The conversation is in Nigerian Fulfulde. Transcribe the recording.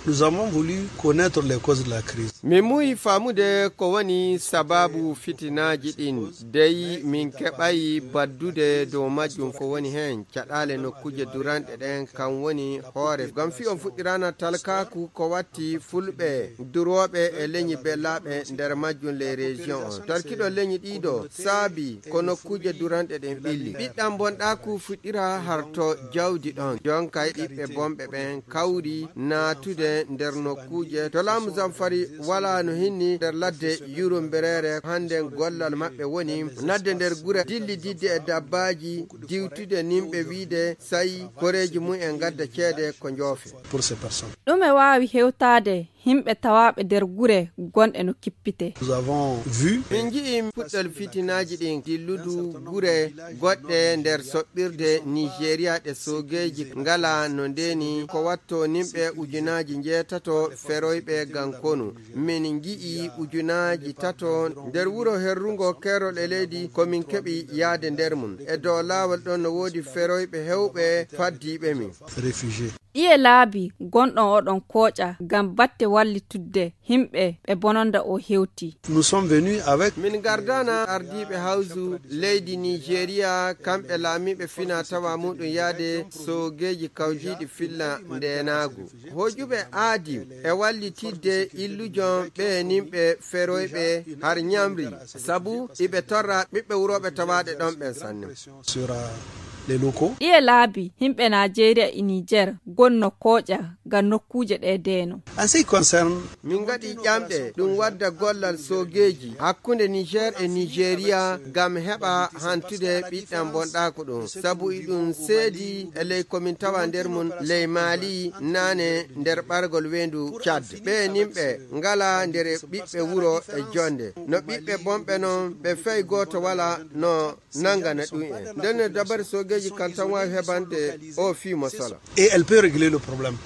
Nous avons voulu connaître les causes de la crise. Min muyi famude ko woni sababu fitinaji ɗin dey min keɓayi baddude dow majjum ko woni hen caɗale nokkuje duranɗe ɗen kan woni hoore gam fi on fuɗɗirana talkaku ko watti fulɓe duroɓe e leñi bellaɓe nder majjum les région on tarkiɗo leñi ɗiɗo saabi ko nokkuje duranɗe ɗen ɓilli ɓiɗɗam bonɗaku fuɗɗira harto jawdi ɗon jonka ɓiɓɓe bomɓe ɓen kawri natude nder nokkuje to laamu Zamfari wala no hinni nder ladde Yurumberere hande gollal maɓɓe woni nadde nder gure dilli didde e dabbaji diwtude nimɓe wiide sayi koreji mum en gadda ceede ko joofe pour ces personnes. ɗume wawi hewtade himɓe tawaɓe nder gure gonɗe no kippite. Nous avons vu min jii puɗɗol fitinaji ɗin dilludu gure goɗɗe nder soɓɓirde Nigeria ɗe sogeji ngala no ndeni ko watto nimɓe ujunaji jeetato feroyɓe gankonu min gi'i ujunaji tato nder wuro herrugo kerol e leydi komin keɓi yaade nder mum e dow laawol ɗon no woodi feroyɓe hewɓe faddiɓe min réfugiés. Iye laabi gonɗon oɗon kooƴa gam batte wallitudde himɓe ɓe bononda o hewti. Nous sommes venus avec min gardana ardiɓe hawsu leydi Nigeria kamɓe laamiɓe fina tawa muɗum yaade sogeji kawjiɗi filla ndenagu hojuɓe aadi e wallitidde illujon ɓe nimɓe feroyɓe har ñamri sabu iɓe torra ɓiɓɓe wuroɓe tawaɗe ɗon ɓen sanne sur les locaux. Iye laabi himɓe Nigeria e Niger gonno kooƴa gam nokkuje ɗe deeno. En ce qui concerne min gaɗi ƴamɗe ɗum wadda gollal sogeji hakkunde Niger e Nigeria gam heɓa hantude ɓiɗɗam bonɗaku ɗum sabu iɗum seedi e ley komin tawa nder mum ley Mali nane nder ɓargol wendu Tchad ɓe nimɓe ngala nder ɓiɓɓe wuro e jonde no ɓiɓɓe bomɓe noon ɓe fey goto wala no nangana ɗum en nden dabar sogeji kan tan wawi heɓande o fi masala et elle peut régler le problème.